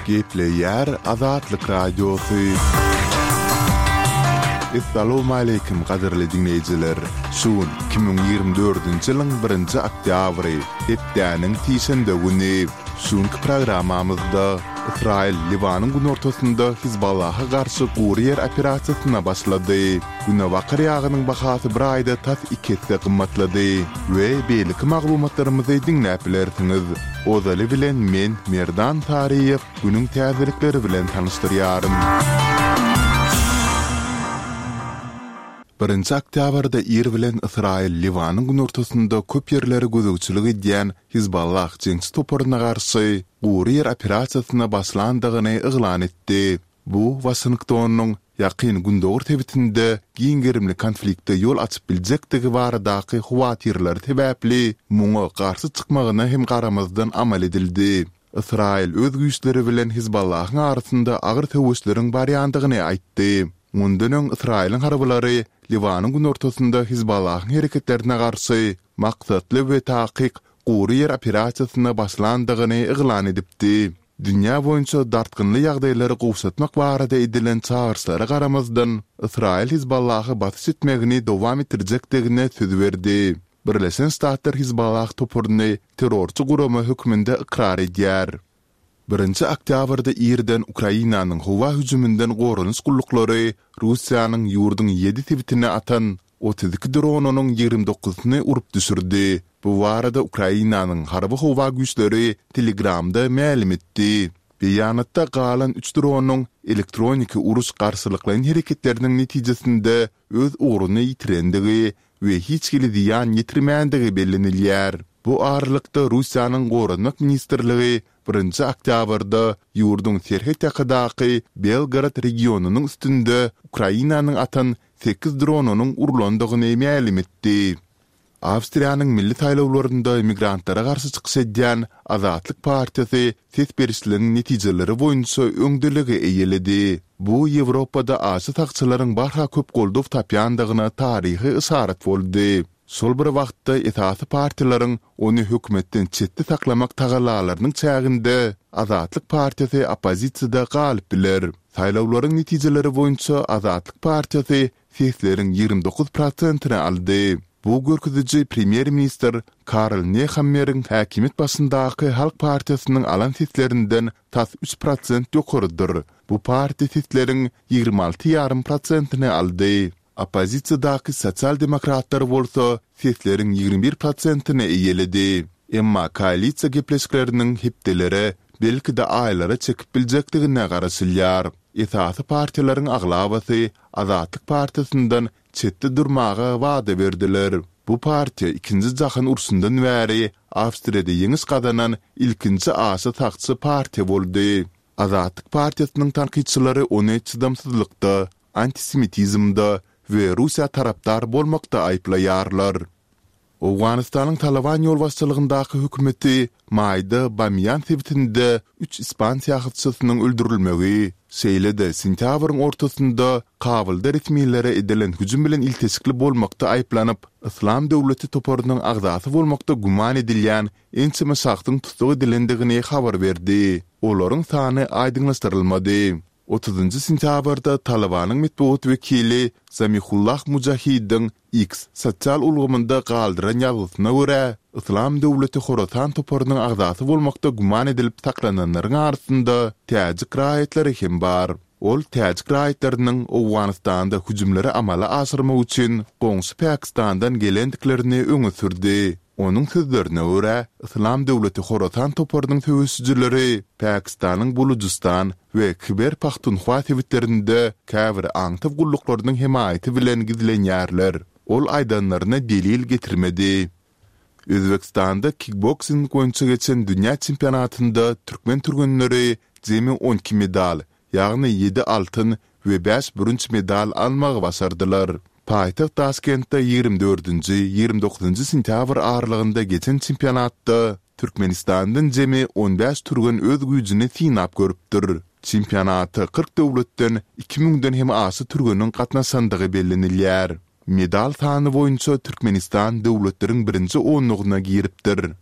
Gepleýär Azatlyk Radiosy. Essalawmaleýkim gadyrly diňleýjiler! Şu gün 2024-nji ýylyň birinji oktýabry, hepdäniň sişenbe güni. Şu günki programmamyzda Ysraýyl Liwanyň günortasynda Hizballaha garşy gury ýer operasiýasyna başlady. Günebakar ýagynyň bahasy bir aýda tas iki esse gymmatlady we beýleki maglumatlarymyzy diňläp bilersiňiz. Ozaly bilen men, Merdan Saryýew, günüň täzelikleri bilen tanyşdyrýaryn. Birinji oktýabrda ir bilen Ysraýyl Liwanyň günortasynda köp ýerlere gözegçilik edýän Hizballah jeňçi toparyna garşy gury ýer operasiýasyna başlandygyny yglan etdi. Bu Waşingtonyň Ýakyn Gündogar sebitinde giň gerimli konflikte ýol açyp biljekdigi baradaky howatyrlary sebäpli muňa garşy çykmagyna hem garamazdan amal edildi. Ysraýyl öz güýçleri bilen Hizballahyň arasynda agyr söweşleriň barýandygyny aýtdy. Mundan öň Ysraýylyň harbylary Liwanyň günortasynda Hizballahyň hereketlerine garşy maksatly we takyk gury ýer operasiýasyna başlandygyny yglan edipdi. Dünýä boýunça dartgynly ýagdaýlary gowşatmak barada edilen çagyryşlara garamazdan, Ysraýyl Hizballaha basyş etmegini dowam etdirjekdigine söz berdi. Birleşen Ştatlar Hizballah toparyny terrorçy gurama hökmünde ykrar edýär. Birinji oktýabrda irden Ukrainanyň howa hüjüminden goranyş gulluklary Russiýanyň ýurduň ýedi sebitine atan 32 dronynyň ýigrimi dokuzysyny urup düşürdi. Bu barada Ukrainanyň Harby-howa güýçleri Telegramda mälim etdi. Beýanatda galan üç dronyň elektroniki uruş garşylyklaýyn hereketleriniň netijesinde öz ugruny ýitirendigi we hiç hili zyýan ýetirmändigi bellenilýär. Bu aralykda Russiýanyň Goranmak ministrligi Birinji oktýabrda ýurduň serhet ýakadaky Belgorod regionynyň üstünde Ukrainanyň atan sekiz dronynyň urlandygyny mälim etdi. Awstriýanyň milli saýlawlarynda migrantlara garşy çykyş edýän Azatlyk partiýasy ses berişligiň netijeleri boýunça öňdeligi eýeledi. Bu Ýewropada aşa sagçylaryň barha köp goldaw tapýandygyna taryhy yşarat boldy. Şol bir wagtda esasy partiýalaryň ony hökümetden çetde saklamak tagallalarynyň çäginde Azatlyk partiýasy oppozisiýada galyp biler. Saýlawlaryň netijeleri boýunça Azatlyk partiýasy sesleriň 29 prosentini aldy. Bu görkeziji premýer-ministr Karl Nehammeriň häkimiýet başyndaky Halk partiýasynyň alan seslerinden tas üç prosent ýokarydyr. Bu partiýa sesleriň 26 ýarym prosentini aldy. Oppozisiýadaky sosial-demokratlar bolsa sesleriň 21 prosentini eýeledi. Emma koalisiýa gepleşikleriniň hepdelere, belki-de aýlara çekip biljekdigine garaşylýar. Esasy partiýalaryň aglabasy Azatlyk partiýasyndan çetde durmaga wada berdiler. Bu partiýa Ikinji jahan urşundan bäri Awstriýada ýeňiş gazanan ilkinji aşa sagçy partiýa boldy. Azatlyk partiýasynyň tankytçylary ony çydamsyzlykda, antisemitizmde we Russiýa tarapdar bolmakda aýyplaýarlar. Owganystanyň Talyban ýolbaşçylygyndaky hökümeti maýda Bamiýan sebitinde üç ispan syýahatçysynyň öldürilmegi, şeýle-de sentýabryň ortasynda Kabulda resmilere edilen hüjüm bilen ilteşikli bolmakda aýyplanyp, Yslam döwleti toparynyň agzasy bolmakda güman edilýän ençeme şahsyň tussag edilendigini habar berdi. Olaryň sany aýdyňlaşdyrylmady. Otuzynjy sentýabrda Talybanyň metbugat wekili Zamihullah Mujahidiň X sosial ulgamynda galdyran ýazgysyna görä, Yslam döwleti Horasan toparynyň agzasy bolmakda güman edilip saklananlaryň arasynda täjik raýatlary hem bar. Ol täjik raýatlarynyň Owganystanda hüjümleri amala aşyrmak üçin goňşy Pakistandan gelendiklerini öňe sürdi. Onuň sözlerine görä, Yslam döwleti Horasan toparynyň söweşijileri Pakistanyň Bulujystan we Khyber-Pahtunhwa sebitlerinde käbir aňtaw gulluklarynyň hemaýaty bilen gizlenýärler. Ol aýdanlaryna delil getirmedi. Özbegistanda kikboksing boýunça geçen dünýä çempionatynda türkmen türgenleri jemi 12 medal, ýagny ýedi altyn we bäş bürünç medal almagy başardylar. Paýtagt Daşkentde 24-nji, 29-njy sentýabr aralygynda geçen çempionatda Türkmenistandan jemi on bäş türgen öz güýjüni synap görüpdir. Çempionata 40 döwletden iki müňden hem aşa türgeniň gatnaşandygy bellenilýär. Medal sany boýunça Türkmenistan döwletleriň birinji onlugyna giripdir.